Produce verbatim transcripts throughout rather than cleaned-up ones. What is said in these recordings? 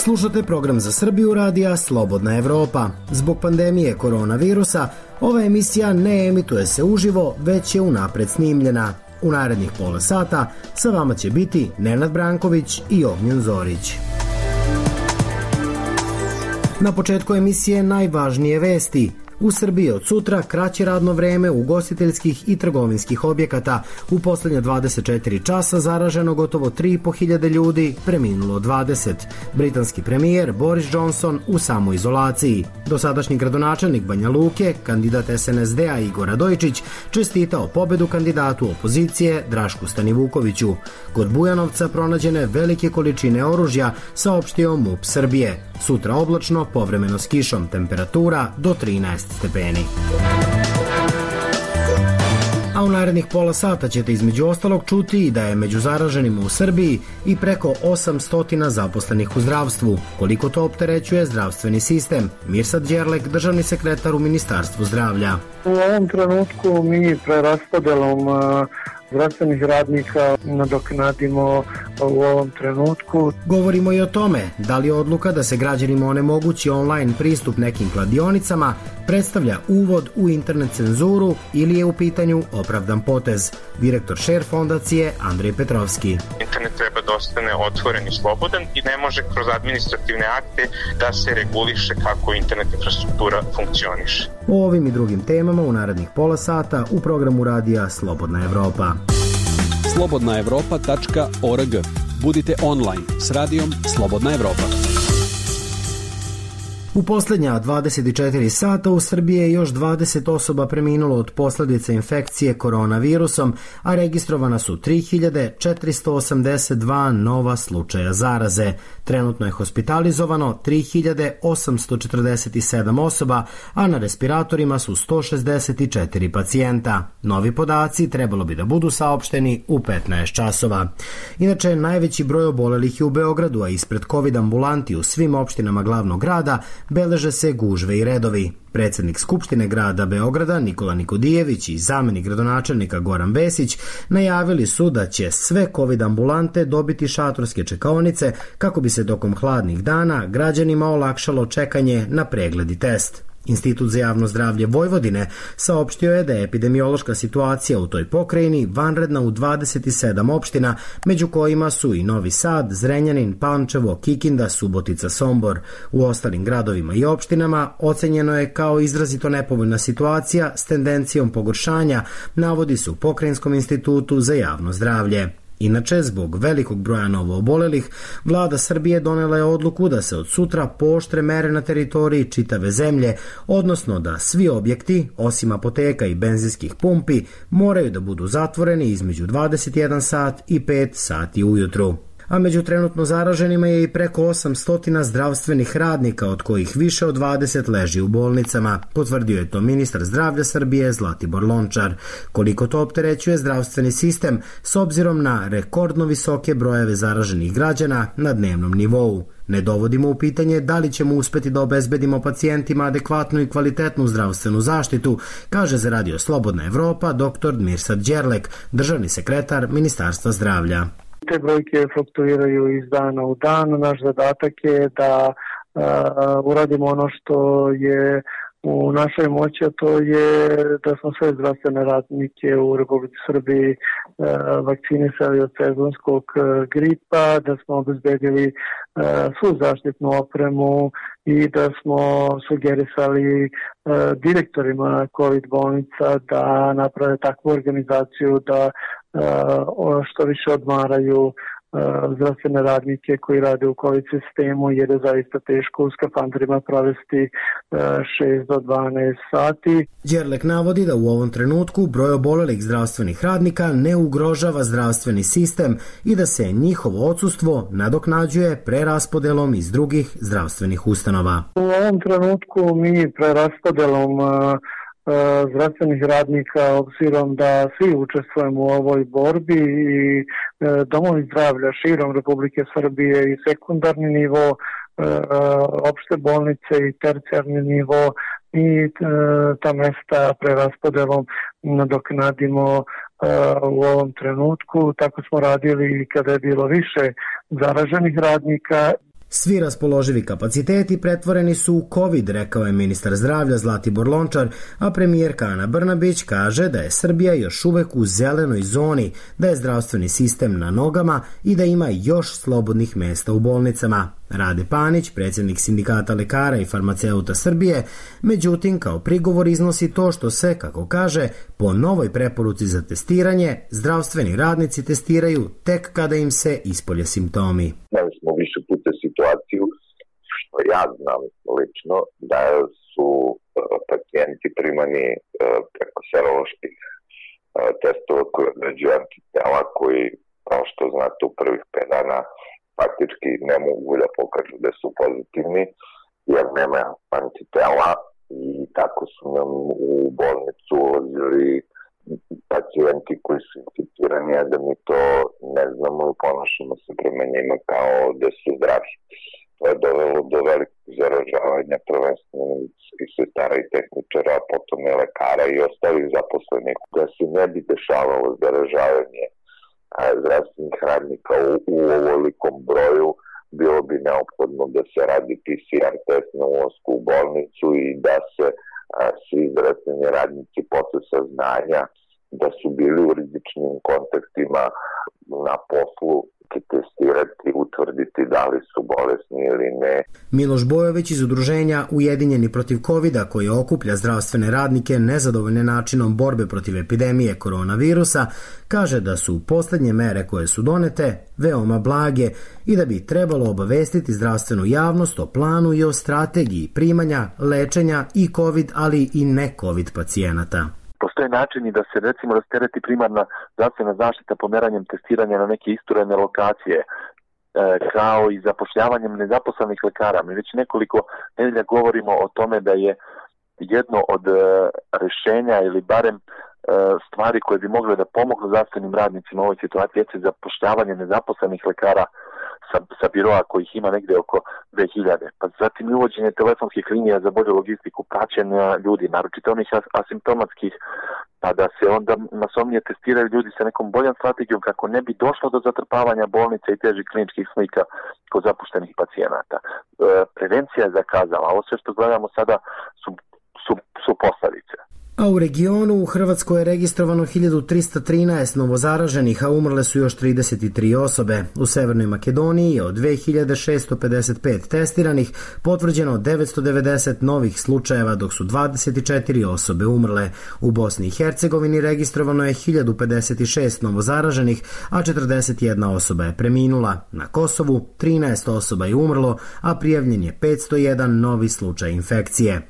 Slušate program za Srbiju radija Slobodna Evropa. Zbog pandemije koronavirusa, ova emisija ne emituje se uživo, već je unapred snimljena. U narednih pola sata sa vama će biti Nenad Branković i Ognjen Zorić. Na početku emisije najvažnije vesti. U Srbiji od sutra kraće radno vreme ugostiteljskih i trgovinskih objekata. U poslednje dvadeset četiri časa zaraženo gotovo tri i po hiljade ljudi, preminulo dvadeset. Britanski premijer Boris Johnson u samoizolaciji. Dosadašnji gradonačelnik Banja Luke, kandidat es en es de a Igor Radojičić, čestitao pobedu kandidatu opozicije Drašku Stanivukoviću. Kod Bujanovca pronađene velike količine oružja, saopštio MUP Srbije. Sutra oblačno, povremeno s kišom, temperatura do trinaest stepeni. A u narednih pola sata ćete između ostalog čuti da je među zaraženima u Srbiji i preko osamsto zaposlenih u zdravstvu. Koliko to opterećuje zdravstveni sistem? Mirsad Đerlek, državni sekretar u Ministarstvu zdravlja. U ovom trenutku mi preraspodelom zdravstvenih radnika nadoknadimo u ovom trenutku. Govorimo i o tome da li odluka da se građanima onemogući online pristup nekim kladionicama predstavlja uvod u internet cenzuru ili je u pitanju opravdan potez. Direktor Share fondacije Andrej Petrovski. Internet treba da ostane otvoren i slobodan i ne može kroz administrativne akte da se reguliše kako internet infrastruktura funkcioniše. O ovim i drugim temama u narednih pola sata u programu radija Slobodna Evropa. slobodna evropa tačka org. Budite online s radijom Slobodna Evropa. U poslednja dvadeset četiri sata u Srbiji je još dvadeset osoba preminulo od posledica infekcije koronavirusom, a registrovana su tri hiljade četiristo osamdeset dva nova slučaja zaraze. Trenutno je hospitalizovano tri hiljade osamsto četrdeset sedam osoba, a na respiratorima su sto šezdeset četiri pacijenta. Novi podaci trebalo bi da budu saopšteni u petnaest časova. Inače, najveći broj obolelih je u Beogradu, a ispred COVID ambulanti u svim opštinama glavnog grada beleže se gužve i redovi. Predsednik Skupštine grada Beograda Nikola Nikodijević i zamenik gradonačelnika Goran Vesić najavili su da će sve COVID ambulante dobiti šatorske čekaonice kako bi se tokom hladnih dana građanima olakšalo čekanje na pregled i test. Institut za javno zdravlje Vojvodine saopštio je da je epidemiološka situacija u toj pokrajini vanredna u dvadeset sedam opština, među kojima su i Novi Sad, Zrenjanin, Pančevo, Kikinda, Subotica, Sombor. U ostalim gradovima i opštinama ocenjeno je kao izrazito nepovoljna situacija s tendencijom pogoršanja, navodi se u Pokrajinskom institutu za javno zdravlje. Inače, zbog velikog broja novoobolelih, vlada Srbije donela je odluku da se od sutra pooštre mere na teritoriji čitave zemlje, odnosno da svi objekti, osim apoteka i benzinskih pumpi, moraju da budu zatvoreni između dvadeset jedan sat i pet sati ujutru. A među trenutno zaraženima je i preko osamsto zdravstvenih radnika, od kojih više od dvadeset leži u bolnicama, potvrdio je to ministar zdravlja Srbije Zlatibor Lončar. Koliko to opterećuje zdravstveni sistem s obzirom na rekordno visoke brojeve zaraženih građana na dnevnom nivou. Ne dovodimo u pitanje da li ćemo uspeti da obezbedimo pacijentima adekvatnu i kvalitetnu zdravstvenu zaštitu, kaže za Radio Slobodna Evropa dr Mirsad Đerlek, državni sekretar Ministarstva zdravlja. Te brojke fluktuiraju iz dana u dan. Naš zadatak je da uh, uradimo ono što je u našoj moći, a to je da smo sve zdravstvene radnike u Republici Srbiji uh, vakcinisali od sezonskog uh, gripa, da smo obezbedili uh, svu zaštitnu opremu i da smo sugerisali uh, direktorima COVID bolnica da naprave takvu organizaciju da uh, što više odmaraju zdravstvene radnike koji rade u COVID sistemu, jer je zaista teško u skafanderima provesti šest do dvanaest sati. Đerlek navodi da u ovom trenutku broj obolelih zdravstvenih radnika ne ugrožava zdravstveni sistem i da se njihovo odsustvo nadoknađuje preraspodelom iz drugih zdravstvenih ustanova. U ovom trenutku mi preraspodelom zdravstvenih radnika, obzirom da svi učestvujemo u ovoj borbi i domovi zdravlja širom Republike Srbije i sekundarni nivo, opšte bolnice i tercijarni nivo i ta mesta preraspodelom nadoknadimo u ovom trenutku. Tako smo radili kada je bilo više zaraženih radnika. Svi raspoloživi kapaciteti pretvoreni su u COVID, rekao je ministar zdravlja Zlatibor Lončar, a premijerka Ana Brnabić kaže da je Srbija još uvek u zelenoj zoni, da je zdravstveni sistem na nogama i da ima još slobodnih mesta u bolnicama. Rade Panić, predsjednik Sindikata lekara i farmaceuta Srbije, međutim kao prigovor iznosi to što se, kako kaže, po novoj preporuci za testiranje, zdravstveni radnici testiraju tek kada im se ispolje simptomi. Imali smo više puta situaciju, što ja znam lično, da su pacijenti primani preko seroloških testova koji određuju antitela koji, kao što znate, u prvih pet dana faktički ne mogu da pokažu da su pozitivni, jer nema antitela i tako su nam u bolnicu ulazili pacijenti koji su inficirani, a da mi to ne znamo i ponašamo se prema njima kao da su zdravi. To je dovelo do velikog zaražavanja prvenstveno medicinskih sestara i tehničara, a potom i lekara i ostalih zaposlenih. Da se ne bi dešavalo zaražavanje zdravstvenih radnika u, u ovolikom broju, bilo bi neophodno da se radi P C R test na ulasku u bolnicu i da se a, svi zdravstveni radnici posle saznanja da su bili u rizičnim kontaktima na poslu testirati, utvrditi da li su bolesni ili ne. Miloš Bojović iz udruženja Ujedinjeni protiv kovida, koji okuplja zdravstvene radnike nezadovoljne načinom borbe protiv epidemije koronavirusa, kaže da su poslednje mere koje su donete veoma blage i da bi trebalo obavestiti zdravstvenu javnost o planu i o strategiji primanja, lečenja i covid, ali i ne covid pacijenata. Postoje načini da se recimo rastereti primarna zdravstvena zaštita pomeranjem testiranja na neke isturene lokacije, e, kao i zapošljavanjem nezaposlenih lekara. Mi već nekoliko nedelja govorimo o tome da je jedno od e, rešenja ili barem e, stvari koje bi mogle da pomognu zdravstvenim radnicima u ovoj situaciji je zapošljavanje nezaposlenih lekara sa, sa biroa kojih ima negde oko dve hiljade. Pa zatim uvođenje telefonskih linija za bolju logistiku praćenja ljudi, naročito onih asimptomatskih, pa da se onda masovnije testiraju ljudi sa nekom boljom strategijom kako ne bi došlo do zatrpavanja bolnice i težih kliničkih slika kod zapuštenih pacijenata. E, prevencija je zakazala, ovo sve što gledamo sada su, su, su posledice. A u regionu u Hrvatskoj je registrovano hiljadu trista trinaest novozaraženih, a umrle su još trideset tri osobe. U Severnoj Makedoniji je od dve hiljade šesto pedeset pet testiranih potvrđeno devetsto devedeset novih slučajeva, dok su dvadeset četiri osobe umrle. U Bosni i Hercegovini registrovano je hiljadu pedeset šest novozaraženih, a četrdeset jedna osoba je preminula. Na Kosovu trinaest osoba je umrlo, a prijavljen je petsto jedan novi slučaj infekcije.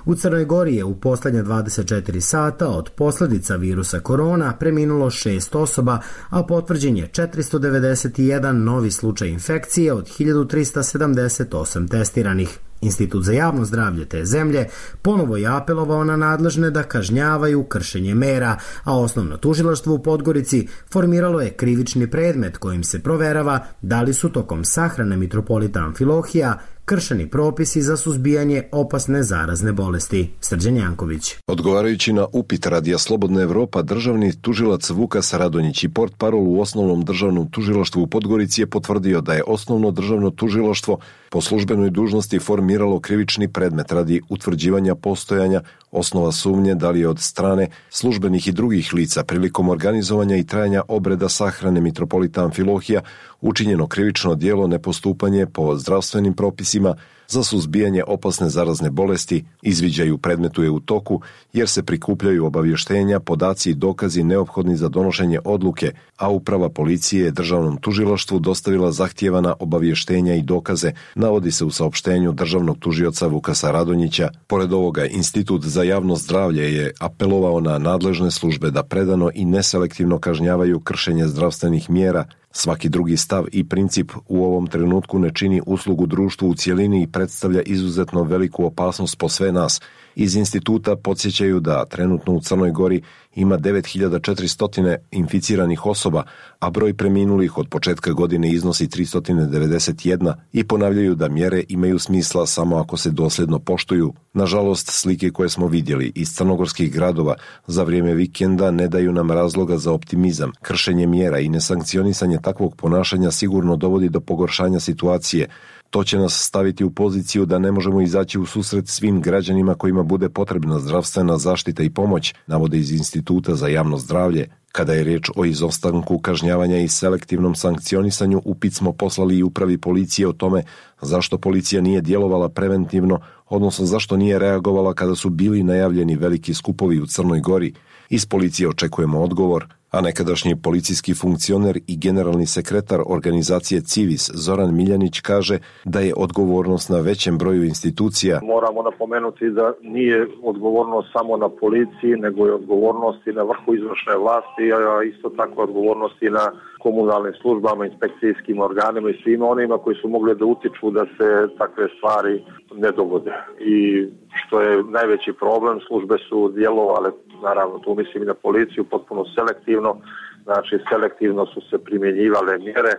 U Crnoj Gori je u poslednje dvadeset četiri sata od posljedica virusa korona preminulo šest osoba, a potvrđen je četiristo devedeset jedan novi slučaj infekcije od hiljadu trista sedamdeset osam testiranih. Institut za javno zdravlje te zemlje ponovo je apelovao na nadležne da kažnjavaju kršenje mera, a osnovno tužilaštvo u Podgorici formiralo je krivični predmet kojim se proverava da li su tokom sahrane mitropolita Amfilohija kršeni propisi za suzbijanje opasne zarazne bolesti. Srđan Janković. Odgovarajući na upit Radija Slobodna Evropa, državni tužilac Vukas Radonjić i portparol u osnovnom državnom tužilaštvu u Podgorici je potvrdio da je osnovno državno tužilaštvo po službenoj dužnosti formiralo krivični predmet radi utvrđivanja postojanja osnova sumnje da li je od strane službenih i drugih lica prilikom organizovanja i trajanja obreda sahrane mitropolita Amfilohija učinjeno krivično djelo nepostupanje po zdravstvenim propisima za suzbijanje opasne zarazne bolesti. Izviđaj u predmetu je u toku jer se prikupljaju obavještenja, podaci i dokazi neophodni za donošenje odluke, a uprava policije je državnom tužilaštvu dostavila zahtijevana obavještenja i dokaze, navodi se u saopštenju državnog tužioca Vukasa Radonjića. Pored ovoga, Institut za javno zdravlje je apelovao na nadležne službe da predano i neselektivno kažnjavaju kršenje zdravstvenih mjera. Svaki drugi stav i princip u ovom trenutku ne čini uslugu društvu u cjelini i predstavlja izuzetno veliku opasnost po sve nas. Iz instituta podsjećaju da trenutno u Crnoj Gori ima devet hiljada četiristo inficiranih osoba, a broj preminulih od početka godine iznosi tristo devedeset jedan i ponavljaju da mjere imaju smisla samo ako se dosljedno poštuju. Nažalost, slike koje smo vidjeli iz crnogorskih gradova za vrijeme vikenda ne daju nam razloga za optimizam. Kršenje mjera i nesankcionisanje takvog ponašanja sigurno dovodi do pogoršanja situacije, To će nas staviti u poziciju da ne možemo izaći u susret svim građanima kojima bude potrebna zdravstvena zaštita i pomoć, navode iz Instituta za javno zdravlje. Kada je riječ o izostanku kažnjavanja i selektivnom sankcionisanju, upit smo poslali i upravi policije o tome zašto policija nije djelovala preventivno, odnosno zašto nije reagovala kada su bili najavljeni veliki skupovi u Crnoj Gori. Iz policije očekujemo odgovor, a nekadašnji policijski funkcioner i generalni sekretar organizacije Civis Zoran Miljanić kaže da je odgovornost na većem broju institucija. Moramo napomenuti da nije odgovornost samo na policiji, nego je odgovornost i na vrhu izvršne vlasti, a isto tako odgovornost i na komunalnim službama, inspekcijskim organima i svima onima koji su mogli da utiču da se takve stvari ne dogode. I što je najveći problem, službe su djelovale, naravno tu mislim i na policiju, potpuno selektivno, znači selektivno su se primjenjivale mjere.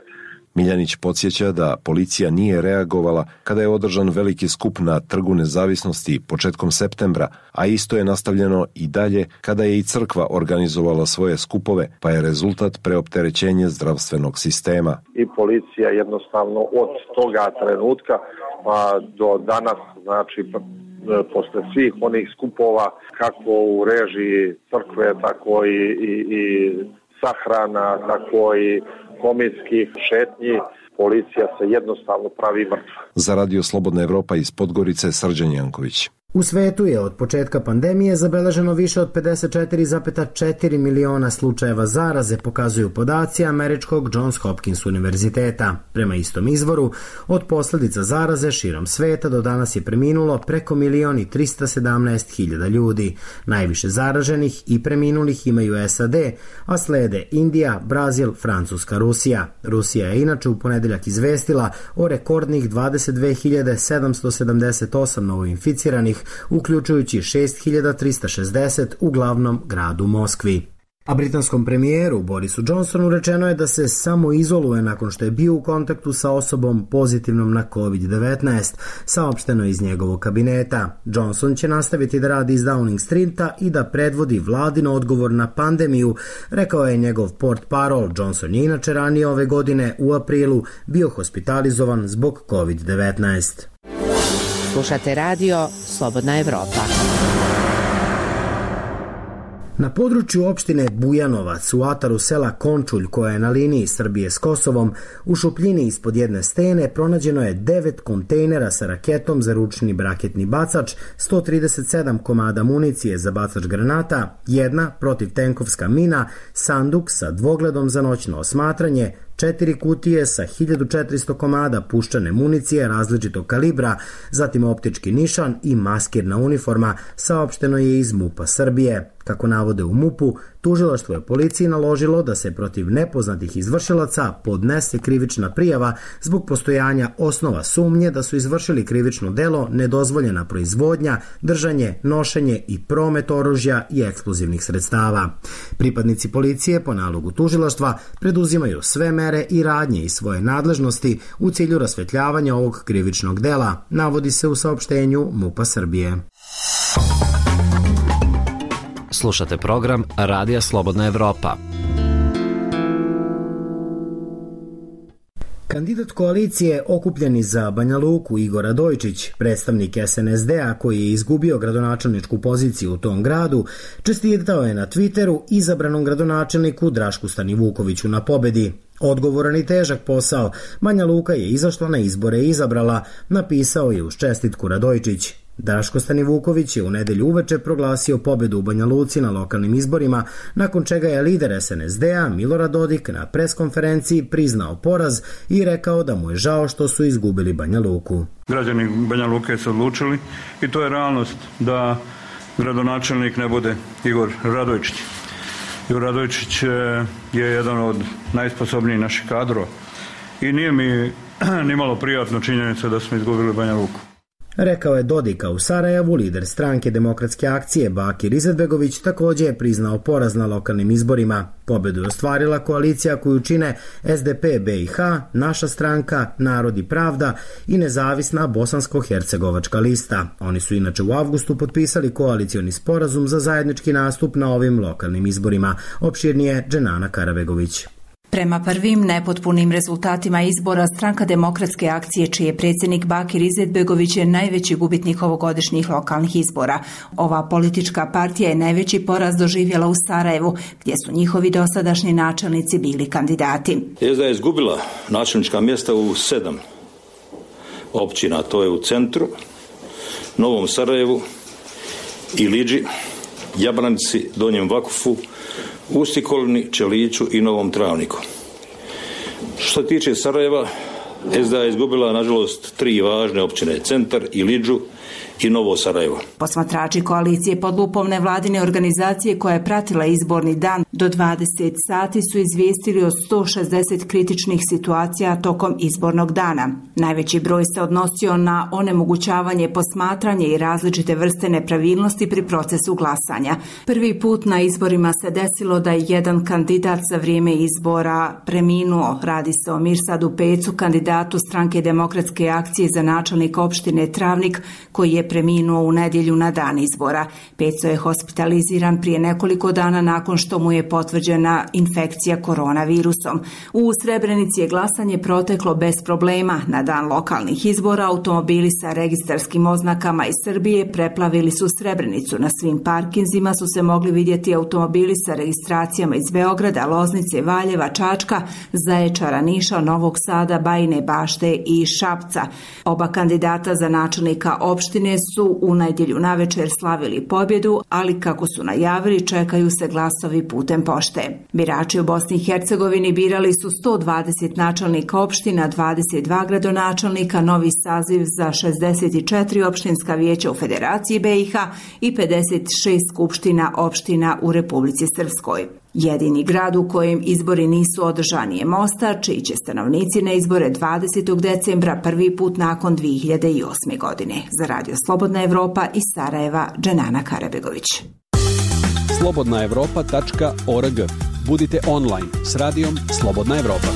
Miljanić podsjeća da policija nije reagovala kada je održan veliki skup na Trgu Nezavisnosti početkom septembra, a isto je nastavljeno i dalje kada je i crkva organizovala svoje skupove, pa je rezultat preopterećenje zdravstvenog sistema. I policija jednostavno od toga trenutka pa do danas, znači posle svih onih skupova, kako u režiji crkve, tako i, i, i sahrana, tako i komitskih šetnji, policija se jednostavno pravi mrtva. Za Radio Slobodna Evropa iz Podgorice, Srđan Janković. U svetu je od početka pandemije zabeleženo više od pedeset četiri zarez četiri miliona slučajeva zaraze, pokazuju podaci američkog Johns Hopkins univerziteta. Prema istom izvoru, od posljedica zaraze širom sveta do danas je preminulo preko milion i trista sedamnaest hiljada ljudi. Najviše zaraženih i preminulih imaju S A D, a slede Indija, Brazil, Francuska, Rusija. Rusija je inače u ponedeljak izvestila o rekordnih dvadeset dve hiljade sedamsto sedamdeset osam novoinficiranih, uključujući šest hiljada trista šezdeset u glavnom gradu Moskvi. A britanskom premijeru Borisu Johnsonu rečeno je da se samo izoluje nakon što je bio u kontaktu sa osobom pozitivnom na kovid devetnaest, saopšteno iz njegovog kabineta. Johnson će nastaviti da radi iz Downing Streeta i da predvodi vladin odgovor na pandemiju, rekao je njegov portparol. Johnson je inače ranije ove godine u aprilu bio hospitalizovan zbog kovid devetnaest. Slušate radio Slobodna Evropa. Na području opštine Bujanovac u ataru sela Končulj, koja je na liniji Srbije s Kosovom, u šupljini ispod jedne stene pronađeno je devet kontejnera sa raketom za ručni raketni bacač, sto trideset sedam komada municije za bacač granata, jedna protivtenkovska mina, sanduk sa dvogledom za noćno osmatranje, četiri kutije sa hiljadu četiristo komada puščane municije različitog kalibra, zatim optički nišan i maskirna uniforma, saopšteno je iz MUP-a Srbije. Kako navode u MUP-u, tužilaštvo je policiji naložilo da se protiv nepoznatih izvršilaca podnese krivična prijava zbog postojanja osnova sumnje da su izvršili krivično delo nedozvoljena proizvodnja, držanje, nošenje i promet oružja i eksplozivnih sredstava. Pripadnici policije po nalogu tužilaštva preduzimaju sve mere i radnje iz svoje nadležnosti u cilju rasvetljavanja ovog krivičnog dela, navodi se u saopštenju MUP-a Srbije. Slušate program Radija Slobodna Evropa. Kandidat koalicije Okupljeni za Banja Luku Igor Radojčić, predstavnik S N S D-a koji je izgubio gradonačelničku poziciju u tom gradu, čestitao je na Twitteru izabranom gradonačelniku Drašku Stanivukoviću na pobedi. Odgovoran i težak posao, Banja Luka je izašla na izbore i izabrala, napisao je uz čestitku Radojčić. Draško Stanivuković je u nedelju uveče proglasio pobedu u Banja Luci na lokalnim izborima, nakon čega je lider S N S D-a Milorad Dodik na preskonferenciji priznao poraz i rekao da mu je žao što su izgubili Banja Luku. Građani Banja Luke su odlučili i to je realnost da gradonačelnik ne bude Igor Radojčić. Igor Radojčić je jedan od najsposobnijih naših kadrova i nije mi nimalo prijatno činjenica da smo izgubili Banja Luku. Rekao je Dodika u Sarajevu. Lider stranke Demokratske akcije Bakir Izetbegović također je priznao poraz na lokalnim izborima. Pobedu je ostvarila koalicija koju čine S D P B i H, Naša stranka, Narod i pravda i nezavisna Bosansko-hercegovačka lista. Oni su inače u avgustu potpisali koalicioni sporazum za zajednički nastup na ovim lokalnim izborima. Opširnije Dženana Karabegović. Prema prvim nepotpunim rezultatima izbora, Stranka demokratske akcije, čiji je predsjednik Bakir Izetbegović, je najveći gubitnik ovogodišnjih lokalnih izbora. Ova politička partija je najveći poraz doživjela u Sarajevu, gdje su njihovi dosadašnji načelnici bili kandidati. S D A je izgubila načelnička mjesta u sedam općina, to je u centru, Novom Sarajevu, Ilidži, Jablanici, Donjem Vakufu, Ustikolni, Čeliću i Novom Travniku. Što se tiče Sarajeva, S D A je izgubila, nažalost, tri važne općine, Centar, Ilidžu i Novo Sarajevo. Posmatrači koalicije pod lupom nevladine organizacije koja je pratila izborni dan do dvadeset sati su izvijestili o sto šezdeset kritičnih situacija tokom izbornog dana. Najveći broj se odnosio na onemogućavanje posmatranje i različite vrste nepravilnosti pri procesu glasanja. Prvi put na izborima se desilo da je jedan kandidat za vrijeme izbora preminuo. Radi se o Mirsadu Pecu, kandidatu Stranke demokratske akcije za načelnika opštine Travnik, koji je preminuo u nedjelju na dan izbora. Peco je hospitaliziran prije nekoliko dana nakon što mu je potvrđena infekcija koronavirusom. U Srebrenici je glasanje proteklo bez problema. Na dan lokalnih izbora automobili sa registarskim oznakama iz Srbije preplavili su Srebrenicu. Na svim parkinzima su se mogli vidjeti automobili sa registracijama iz Beograda, Loznice, Valjeva, Čačka, Zaječara, Niša, Novog Sada, Bajine Bašte i Šapca. Oba kandidata za načelnika opštine su u nedjelju navečer slavili pobjedu, ali kako su najavili, čekaju se glasovi putem pošte. Birači u Bosni i Hercegovini birali su sto dvadeset načelnika opština, dvadeset dva gradonačelnika, novi saziv za šezdeset četiri opštinska vijeća u Federaciji B i H i pedeset šest skupština opština u Republici Srpskoj. Jedini grad u kojem izbori nisu održani je Mostar, čiji će stanovnici na izbore dvadesetog decembra prvi put nakon dvije hiljade osme. godine. Za Radio Slobodna Evropa iz Sarajeva, Dženana Karabegović. slobodna evropa tačka org. Budite online s radijom Slobodna Evropa.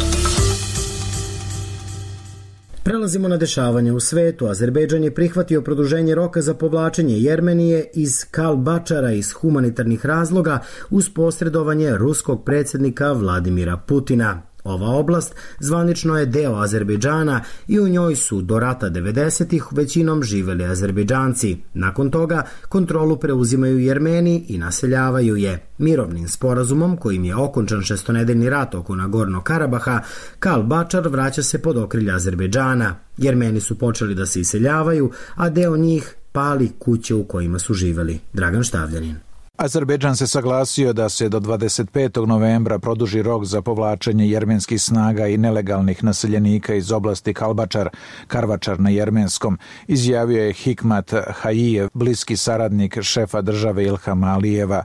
Prelazimo na dešavanje u svetu. Azerbejdžan je prihvatio produženje roka za povlačenje Jermenije iz Kalbačara iz humanitarnih razloga uz posredovanje ruskog predsjednika Vladimira Putina. Ova oblast zvanično je deo Azerbejdžana i u njoj su do rata devedesetih većinom živeli Azerbejdžanci. Nakon toga kontrolu preuzimaju Jermeni i naseljavaju je. Mirovnim sporazumom, kojim je okončan šestonedeljni rat oko Nagornog Karabaha, Kalbačar vraća se pod okrilje Azerbejdžana. Jermeni su počeli da se iseljavaju, a deo njih pali kuće u kojima su živeli. Dragan Štavljanin. Azerbejdžan se saglasio da se do dvadeset petog novembra produži rok za povlačenje jermenskih snaga i nelegalnih naseljenika iz oblasti Kalbačar, Karvačar na jermenskom, izjavio je Hikmat Hajijev, bliski saradnik šefa države Ilhama Alijeva.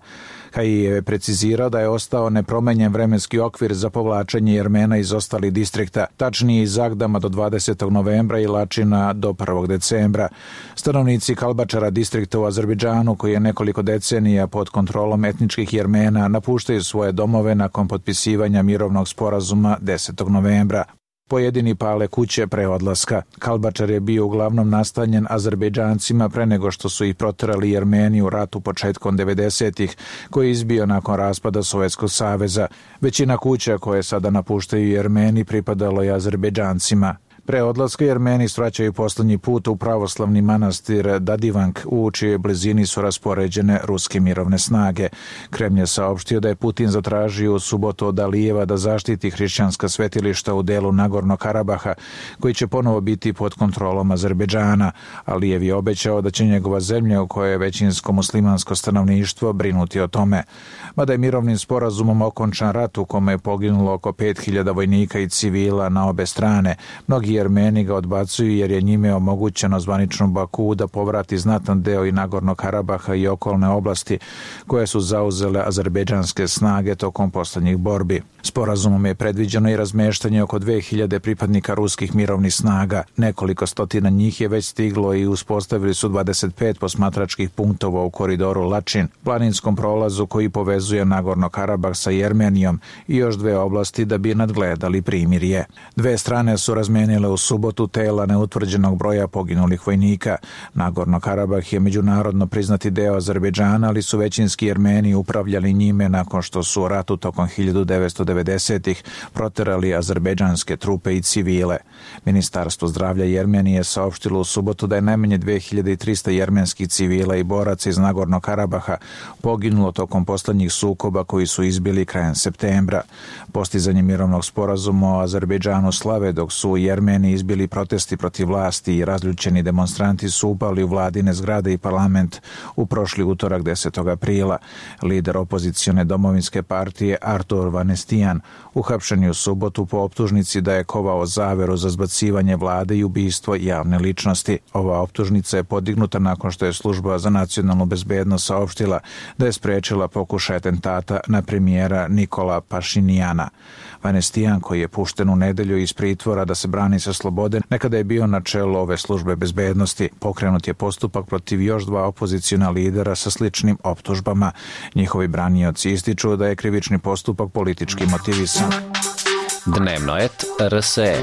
Hajijev je precizirao da je ostao nepromenjen vremenski okvir za povlačenje Jermena iz ostalih distrikta, tačnije iz Agdama do dvadesetog novembra i Lačina do prvog decembra. Stanovnici Kalbačara, distrikta u Azerbejdžanu, koji je nekoliko decenija pod kontrolom etničkih Jermena, napuštaju svoje domove nakon potpisivanja mirovnog sporazuma desetog novembra. Pojedini pale kuće pre odlaska. Kalbačar je bio uglavnom nastanjen Azerbejdžancima pre nego što su ih proterali Jermeni u ratu početkom devedesetih, koji je izbio nakon raspada Sovjetskog saveza. Većina kuća koje sada napuštaju Jermeni pripadalo je Azerbejdžancima. Pre odlaska Jermeni svraćaju poslednji put u pravoslavni manastir Dadivank, u čijoj blizini su raspoređene ruske mirovne snage. Kremlj je saopštio da je Putin zatražio u subotu od Alijeva da zaštiti hrišćanska svetilišta u delu Nagornog Karabaha, koji će ponovo biti pod kontrolom Azerbejdžana. Alijev je obećao da će njegova zemlja, u kojoj je većinsko muslimansko stanovništvo, brinuti o tome. Mada je mirovnim sporazumom okončan rat u kome je poginulo oko pet hiljada vojnika i civila na obe strane, mnogi Jermeni ga odbacuju jer je njime omogućeno zvaničnom Baku da povrati znatan deo i Nagornog Karabaha i okolne oblasti koje su zauzele azerbejdžanske snage tokom poslednjih borbi. Sporazumom je predviđeno i razmeštanje oko dve hiljade pripadnika ruskih mirovnih snaga. Nekoliko stotina njih je već stiglo i uspostavili su dvadeset pet posmatračkih punktova u koridoru Lačin, planinskom prolazu koji povezuje Nagorno Karabah sa Jermenijom, i još dve oblasti da bi nadgledali primirje. Dve strane su razmenile u subotu tela neutvrđenog broja poginulih vojnika. Nagorno Karabah je međunarodno priznati deo Azerbejdžana, ali su većinski Jermeni upravljali njime nakon što su u ratu tokom hiljadu devetsto devedesetih proterali azerbejdžanske trupe i civile. Ministarstvo zdravlja Jermenije saopštilo u subotu da je najmanje dve hiljade trista jermenskih civila i boraca iz Nagorno Karabaha poginulo tokom poslednjih sukoba koji su izbili krajem septembra. Postizanje mirovnog sporazuma o Azerbejdžanu slave, dok su u Jermeniji izbili protesti protiv vlasti i razljučeni demonstranti su upali u vladine zgrade i parlament u prošli utorak desetog aprila. Lider opozicione domovinske partije Artur Vanestijan uhapšen je u subotu po optužnici da je kovao zaveru za zbacivanje vlade i ubistvo javne ličnosti. Ova optužnica je podignuta nakon što je služba za nacionalnu bezbednost saopštila da je sprečila pokušaj atentata na premijera Nikola Pašinijana. Vanestijan, koji je pušten u nedelju iz pritvora da se brani sa slobode, nekada je bio na čelu ove službe bezbednosti. Pokrenut je postupak protiv još dva opoziciona lidera sa sličnim optužbama. Njihovi branioci ističu da je krivični postupak politički motivisan. Dnevno et R S E.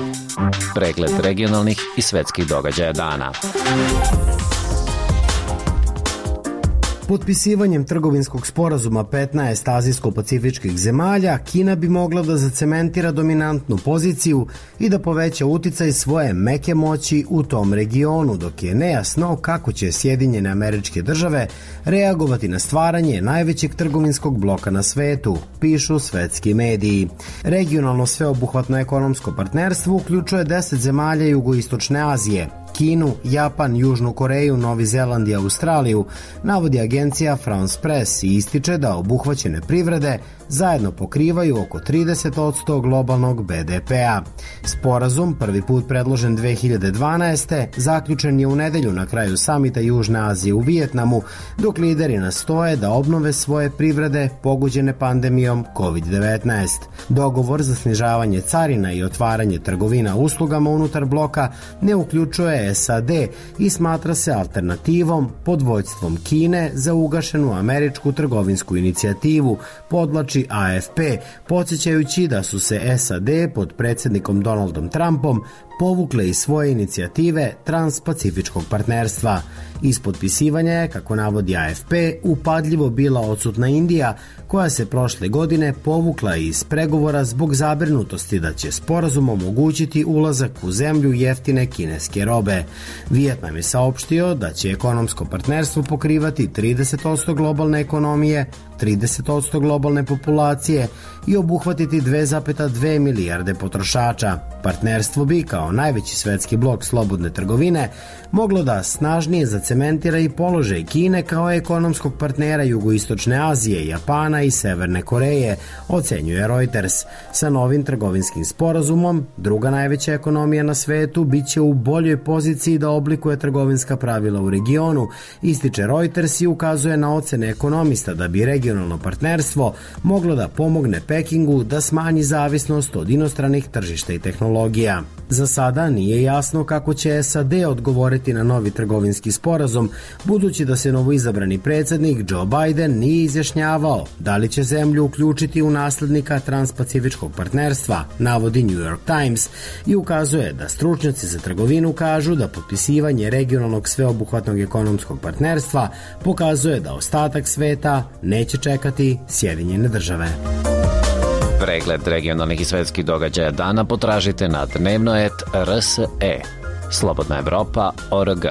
Pregled regionalnih i svetskih događaja dana. Potpisivanjem trgovinskog sporazuma petnaest azijsko-pacifičkih zemalja, Kina bi mogla da zacementira dominantnu poziciju i da poveća uticaj svoje meke moći u tom regionu, dok je nejasno kako će Sjedinjene Američke Države reagovati na stvaranje najvećeg trgovinskog bloka na svetu, pišu svetski mediji. Regionalno sveobuhvatno ekonomsko partnerstvo uključuje deset zemalja jugoistočne Azije, Kinu, Japan, Južnu Koreju, Novi Zeland i Australiju, navodi agencija France Press i ističe da obuhvaćene privrede zajedno pokrivaju oko trideset posto globalnog B D P-a. Sporazum, prvi put predložen dve hiljade dvanaeste. zaključen je u nedelju na kraju samita Južne Azije u Vijetnamu, dok lideri nastoje da obnove svoje privrede pogođene pandemijom kovid devetnaest. Dogovor za snižavanje carina i otvaranje trgovina uslugama unutar bloka ne uključuje S A D i smatra se alternativom pod vođstvom Kine za ugašenu američku trgovinsku inicijativu, podlači A F P, podsjećajući da su se S A D pod predsjednikom Donaldom Trumpom povukle iz svoje inicijative Transpacifičkog partnerstva. Iz potpisivanja je, kako navodi A F P, upadljivo bila odsutna Indija, koja se prošle godine povukla iz pregovora zbog zabrinutosti da će sporazum omogućiti ulazak u zemlju jeftine kineske robe. Vijetnam je saopštio da će ekonomsko partnerstvo pokrivati trideset posto globalne ekonomije, trideset posto globalne populacije i obuhvatiti dve zarez dve milijarde potrošača. Partnerstvo bi, kao najveći svetski blok slobodne trgovine, moglo da snažnije zacementira i položaj Kine kao ekonomskog partnera jugoistočne Azije, Japana i Severne Koreje, ocenjuje Reuters. Sa novim trgovinskim sporazumom, druga najveća ekonomija na svetu biće u boljoj poziciji da oblikuje trgovinska pravila u regionu, ističe Reuters i ukazuje na ocene ekonomista da bi regionalno partnerstvo moglo da pomogne Pekingu da smanji zavisnost od inostranih tržišta i tehnologija. Za sada nije jasno kako će S A D odgovoriti na novi trgovinski sporazum, budući da se novoizabrani predsjednik Joe Biden nije izjašnjavao da li će zemlju uključiti u naslednika Transpacifičkog partnerstva, navodi New York Times, i ukazuje da stručnjaci za trgovinu kažu da potpisivanje regionalnog sveobuhvatnog ekonomskog partnerstva pokazuje da ostatak sveta neće čekati Sjedinjene države. Pregled regionalnih i svetskih događaja dana potražite na dnevno et R S E. Slobodna Evropa точка org.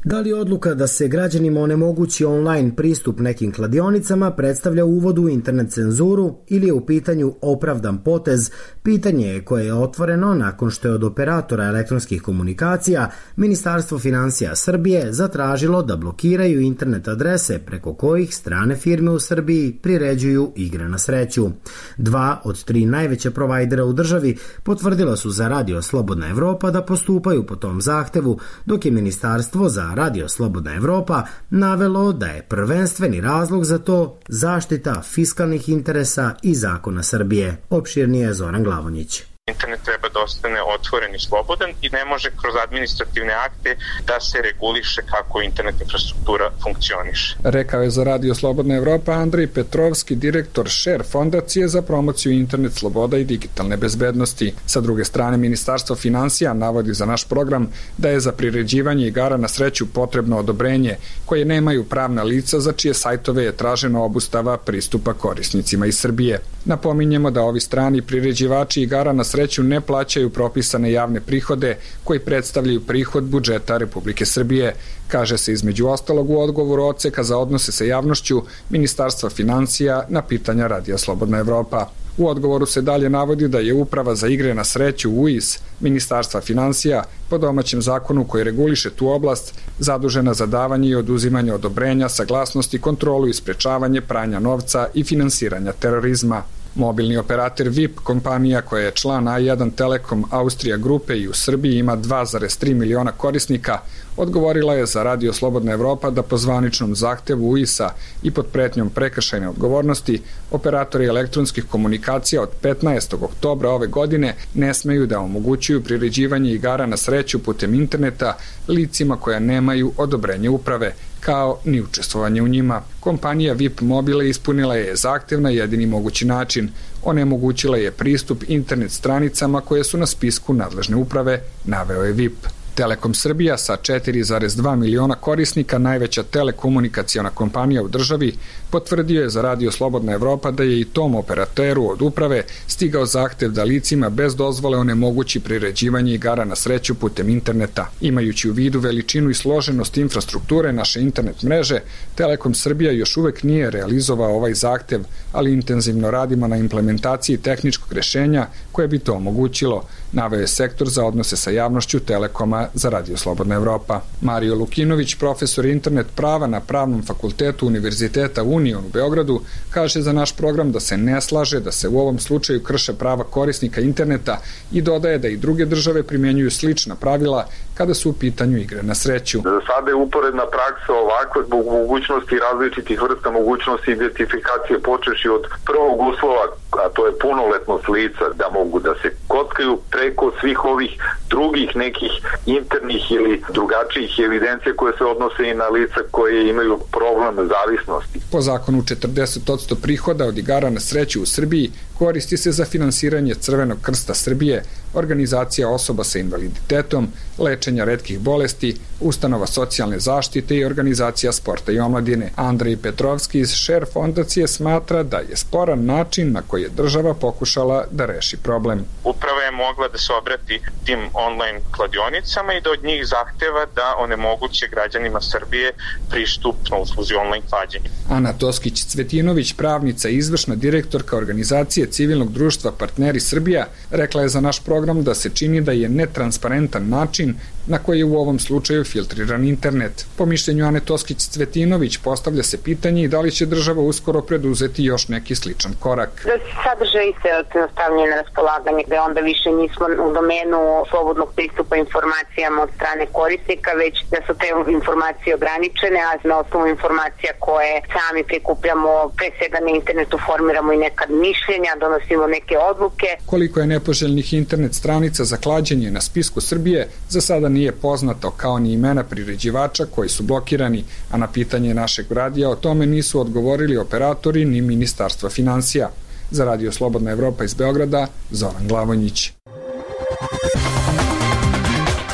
Da li odluka da se građanima onemogući online pristup nekim kladionicama predstavlja uvod u internet cenzuru ili je u pitanju opravdan potez, pitanje je koje je otvoreno nakon što je od operatora elektronskih komunikacija Ministarstvo finansija Srbije zatražilo da blokiraju internet adrese preko kojih strane firme u Srbiji priređuju igre na sreću. Dva od tri najveća provajdera u državi potvrdila su za Radio Slobodna Evropa da postupaju po tom zahtevu, dok je Ministarstvo za Radio Slobodna Evropa navelo da je prvenstveni razlog za to zaštita fiskalnih interesa i zakona Srbije. Opširnije Zoran Glavonjić. Internet treba da ostane otvoren i slobodan i ne može kroz administrativne akte da se reguliše kako internet infrastruktura funkcioniše. Rekao je za Radio Slobodna Evropa Andrej Petrovski, direktor Share fondacije za promociju internet sloboda i digitalne bezbednosti. Sa druge strane, Ministarstvo finansija navodi za naš program da je za priređivanje igara na sreću potrebno odobrenje koje nemaju pravna lica za čije sajtove je tražena obustava pristupa korisnicima iz Srbije. Napominjemo da ovi strani priređivači igara na sreću ne plaćaju propisane javne prihode koji predstavljaju prihod budžeta Republike Srbije, kaže se između ostalog u odgovoru odseka za odnose sa javnošću Ministarstva finansija na pitanja Radija Slobodna Evropa. U odgovoru se dalje navodi da je Uprava za igre na sreću U I S Ministarstva finansija po domaćem zakonu koji reguliše tu oblast zadužena za davanje i oduzimanje odobrenja, saglasnosti, kontrolu i sprečavanje pranja novca i finansiranja terorizma. Mobilni operator V I P, kompanija koja je član A jedan Telekom Austrija grupe i u Srbiji ima dva zarez tri miliona korisnika, odgovorila je za Radio Slobodna Evropa da po zvaničnom zahtevu U I S-a i pod pretnjom prekršajne odgovornosti operatori elektronskih komunikacija od petnaestog oktobra ove godine ne smeju da omogućuju priređivanje igara na sreću putem interneta licima koja nemaju odobrenje uprave, kao ni učestvovanje u njima. Kompanija V I P Mobile ispunila je zahtev na jedini mogući način. Onemogućila je pristup internet stranicama koje su na spisku nadležne uprave, naveo je V I P. Telekom Srbija sa četiri zarez dva miliona korisnika, najveća telekomunikaciona kompanija u državi, potvrdio je za Radio Slobodna Evropa da je i tom operateru od uprave stigao zahtev da licima bez dozvole onemogući priređivanje igara na sreću putem interneta. Imajući u vidu veličinu i složenost infrastrukture naše internet mreže, Telekom Srbija još uvek nije realizovao ovaj zahtev, ali intenzivno radimo na implementaciji tehničkog rešenja koje bi to omogućilo, naveo je sektor za odnose sa javnošću Telekoma za Radio Slobodna Evropa. Mario Lukinović, profesor internet prava na Pravnom fakultetu Univerziteta Union u Beogradu, kaže za naš program da se ne slaže da se u ovom slučaju krše prava korisnika interneta i dodaje da i druge države primjenjuju slična pravila kada su u pitanju igre na sreću. Za sada je uporedna praksa ovakva zbog mogućnosti različitih vrsta mogućnosti identifikacije počeši od prvog uslova, a to je punoletnost lica da mogu da se kockaju preko svih ovih drugih nekih internih ili drugačijih evidencija koje se odnose i na lica koje imaju problem zavisnosti. Po zakonu četrdeset posto prihoda od igara na sreću u Srbiji koristi se za finansiranje Crvenog krsta Srbije, organizacija osoba sa invaliditetom, lečenja retkih bolesti, ustanova socijalne zaštite i organizacija sporta i omladine. Andrej Petrovski iz Share fondacije smatra da je sporan način na koji je država pokušala da reši problem. Uprava je mogla da se obrati tim online kladionicama i da od njih zahteva da onemoguće građanima Srbije pristup na usluzi online klađenja. Ana Toskić-Cvetinović, pravnica i izvršna direktorka organizacije civilnog društva Partneri Srbija, rekla je za naš program da se čini da je netransparentan način na koji je u ovom slučaju filtriran internet. Po mišljenju Ane Toskić-Cvetinović postavlja se pitanje i da li će država uskoro preduzeti još neki sličan korak. Da se sadržaj se stavljaju na raspolaganje, da onda više nismo u domenu slobodnog pristupa informacijama od strane korisnika, već da su te informacije ograničene, a na osnovu informacija koje sami prikupljamo, pre svega na internetu formiramo i nekad mišljenja, donosimo neke odluke. Koliko je nepoželjnih internet stranica za klađenje na spisku Srbije, za sada nije poznato, kao ni imena priređivača koji su blokirani, a na pitanje našeg radija o tome nisu odgovorili operatori ni Ministarstva finansija. Za Radio Slobodna Evropa iz Beograda, Zoran Glavonjić.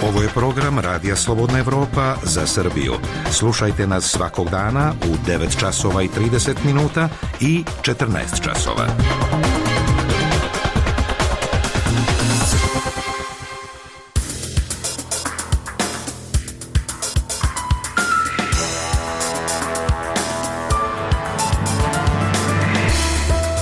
Ovo je program Radija Slobodna Evropa za Srbiju. Slušajte nas svakog dana u devet časova i trideset minuta i četrnaest časova.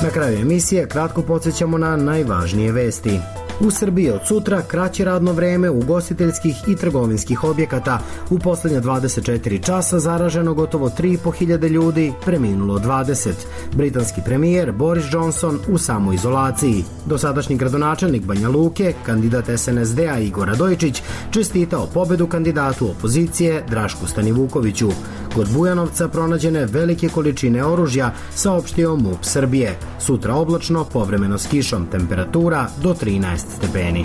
Na kraju emisije kratko podsjećamo na najvažnije vesti. U Srbiji od sutra kraće radno vreme ugostiteljskih i trgovinskih objekata. U poslednje dvadeset četiri časa zaraženo gotovo tri i po hiljade ljudi, preminulo dvadeset. Britanski premijer Boris Johnson u samoizolaciji. Dosadašnji gradonačelnik Banja Luke, kandidat S N S D-a Igor Radojičić, čestitao pobedu kandidatu opozicije Drašku Stanivukoviću. Kod Bujanovca pronađene velike količine oružja, saopštio MUP Srbije. Sutra oblačno, povremeno s kišom, temperatura do trinaest stepeni.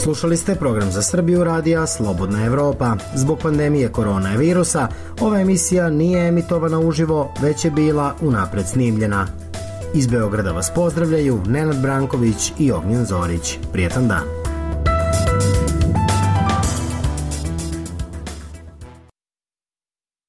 Slušali ste program za Srbiju radija Slobodna Evropa. Zbog pandemije koronavirusa ova emisija nije emitovana uživo, već je bila unapred snimljena. Iz Beograda vas pozdravljaju Nenad Branković i Ognjen Zorić. Prijetan dan.